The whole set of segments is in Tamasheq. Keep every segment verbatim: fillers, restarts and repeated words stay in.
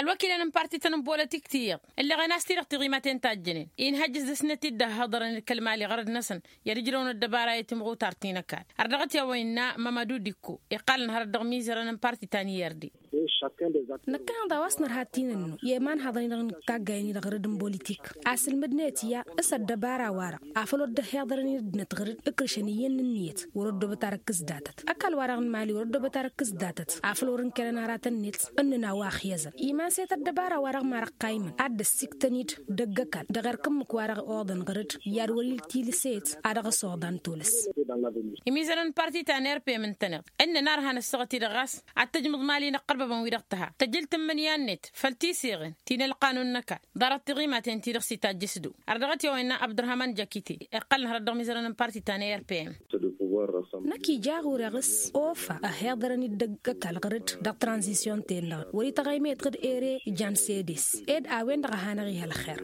Ălwăkilăn n-parti-tăn n-bolătik ti iyyăḍ ǝlleɣen a-s ti-dăɣ tiɣimaten tajjănen inhăjjăs dăr-snăt-dd ăhhăḍărăn d-kăl-mali ɣărăd-năsăn i-ad-ǝjrăwăn ăddăbara i-timɣutar ti n-ăkall. Ărdăɣăt i-a-wa innă mămădu dikko iqqalăn hărăt dăɣ-imizărăn n-parti ta n-i-ărdi. Năkkăneḍ a-wa s-nărha tinǝnnu i-imanhăḍăn-i-dăɣ n-taggayen-i-dăɣ rǝd n-bolitik asǝlmǝdnet i-a s-ăddăbara-wa-dăɣ afăl wăr dd-ăhhiḍărăn-in ăddinăt ɣǝr-dd ǝkrǝšăn iyyăn n-ǝnniyăt wăr-ăddobăt arăkk s-datăt. Ăkall-wa-dăɣ n-mali wăr-ăddobăt arăkk s-datăt afăl wăr-ǝnkănăn aratăn-net ǝnnǝna wa ăxyăẓăn iman-set ăddăbara-wa-dăɣ marăqqaymăn ad-dd-ăssiktăn-dd dăgg-ăkall dăɣ-erk ǝmmǝk-wa-dăɣ oḍăn ɣǝr-dd i-ad-wăr-iltilǝset a dăɣ-s oḍan tulǝs. Imizănăn n-parti ta n-erpem ǝntăneḍ ǝnnăn arhan ăssaɣăt-i-dăɣ ɣas ad-tǝjmǝḍ mali n-ăqqărbăbăn-wi-dăɣ tǝha tăjǝl tǝmmǝnǝya-net făll-tiseɣen ti n-ălqanun n-ăkall ḍarăt tiɣimaten-ti-dăɣ s-itajjăs du. Ărdăɣăt i-a-wa innă abdărhaman jakite iqqălăn hărăt dăɣ-imizărăn n-parti ta n-erpem. Năkk ija ɣur-e ɣǝs ofa ăhiḍărăn-dd dăgg-ăkall ɣǝr-dd dăɣ-tranzisyon-ten-dăɣ wăr-ităɣaymet ɣǝd ere ijan sedes ed a-wen-dăɣ a hanăɣ-ih ălxer.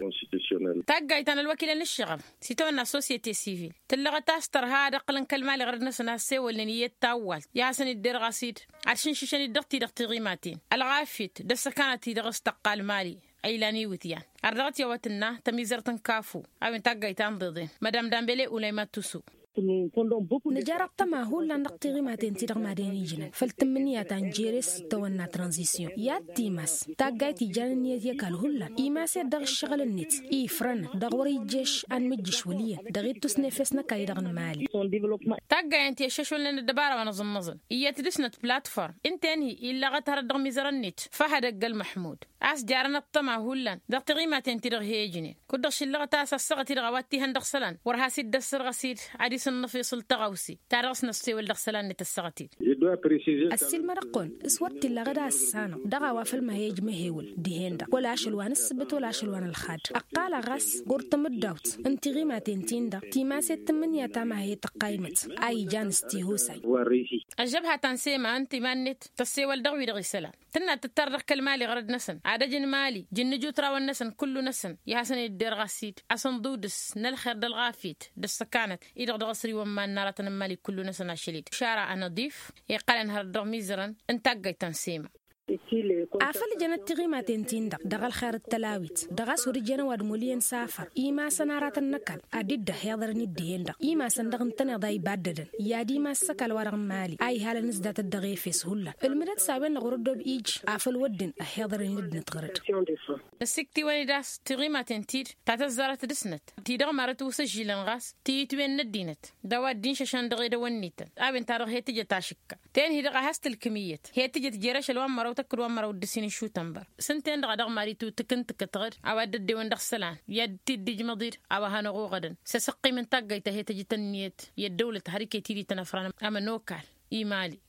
Taggayt ta n-ălwăkilăn n-ǝššăɣăb s-itawănna sosyete sivil tǝllăɣăt a-s tărha ad-ăqqǝlăn kăl-mali ɣărăd-năsăn a ăssewălnen iyyăt tawwalt i-ad-hasăn-dd-derɣas-dd ad-šǝnšǝšăn-dd dăɣ-ti-dăɣ tiɣimaten ălɣafyăt d-ăssăkanăt-ti-dăɣ s-tăqqal mali. Ăylan iwǝtyan ărdăɣăt i-a-wa tǝnna tămizărt n-kafu a-wen taggayt ta n-iḍeḍen mădam dambele ulayma tusu. Nǝjar ăṭṭăma hullan dăɣ-tiɣimaten-ti-dăɣ madăn-ijnăn făll-tǝmmǝnǝya ta n-jere s-tawănna tranzisyon i-ad-timas taggayt ijan ǝnniyăt i-ăkall hullan imas-ed dăɣ-ǝššăɣǝl-net ifrănăn dăɣ-wăr-ijješ anmǝjjǝš wăl' iyyăn dăɣ-ittus n-efes n-ăkall-i-dăɣ n-mali. Taggayen ti ăššăšwălnen ăddăbara wa n-aẓǝnnăẓăn iyyăt dăr-snăt platform ǝnta-en-hi illăɣăt hărăt dăɣ-imizărăn-net făhăd ăgg-ălmăḥmud a-s jarăn ăṭṭăma hullan dăɣ-tiɣimaten-ti-dăɣ he-ǝjnen kud-dăɣ šillăɣăt a-s ăssaɣăt-i-dăɣ a-wa t-ihăn dăɣ-isălan wăr has-dd-ăssărɣăs-dd ad-isǝnnăf iṣǝl tăɣawse ta dăɣ-s năssewăl dăɣ-isălan-net ăssaɣăt-dd. Ăssiilmăd-kăwăn ăssiilmăd-kăwăn s-wăr t-illa ɣǝd a ăssanăɣ dăɣ-a-wa făl ma he-ǝjmăhewǝl dihen-dăɣ wăla ašăl wa n-ǝssǝbǝt wăla ašăl wa n-ălxad. Ăqqal-aɣ ɣas ɣur-tamǝddawt n-tiɣimaten-tin-dăɣ timaset tǝmmǝnǝya ta ma he-tăqqayǝmăt a ijan s-tihusa. Ăžžăbha ta n-sema ǝnta iman-net tăssewăl dăɣ-wi-dăɣ isălan tǝnna tǝttar dăɣ-kăl-mali ɣărăd-năsăn ad-ăj n-mali jǝnnǝj utrawăn-năsăn kullu-năsăn i-ad-hasăn-dd-derɣas-dd asǝnḍudǝs n-ălxer d-ălɣafyăt d-ăssăkanăt-i-dăɣ dăɣ-asriwăn iman n-aratăn n-mali kullu-năsăn ašăl-dd. Šara anăḍif iqqălăn hărăt dăɣ-imizărăn n-taggayt ta n-sema. Afăl jănăt tiɣimaten-tin-dăɣ dăɣ-ălxer d-tălawit dăɣ-a-s wăr-ǝjăn ăwadǝm wăl' iyyăn s-afăr imasăn aratăn n-ăkall ad-dd-ăhiḍărăn-dd dihen-dăɣ imasăn-dăɣ ǝntăneḍ a ibaddădăn i-ad-imas s-ăkall wa-dăɣ n-mali a ihalăn s-datăt dăɣ-efes hullan ǝlmǝdăt s-a-wen-dăɣ wăr-ăddob ij afăl wădden ăhiḍărăn-in ăddinăt ɣăr-dd. Năsiktǝwăn-dd a-s tiɣimaten-ti-dăɣ ta tăzzarăt dăr-snăt ti-dăɣ marăt wăr s-ăžžilăn ɣas tiyǝtwen n-ăddinăt d-a-wa dd-inšăšăn dăɣ-edăwănnităn a-wen-ta-dăɣ he-tǝjăt ašǝkka ten-hi-dăɣ a has-tǝlkǝm iyyăt he-tǝjăt jer-ašăl wa n-măraw tăkk d-wa n-măraw d-ǝssin n-išutănbăr. S-ǝnta-en-dăɣ a dăɣ-mad-itutǝk n-tǝkǝtɣăd a-wa dd-ăddewăn dăɣ-isălan i-ad-t-dd-ijmăḍ-dd a-wa hanăɣ-oɣădăn s-asǝqqim n-taggayt ta he-tăjǝt ǝnniyăt i-ăddăwlăt har iket-dd itănăfran ămănokal i-mali.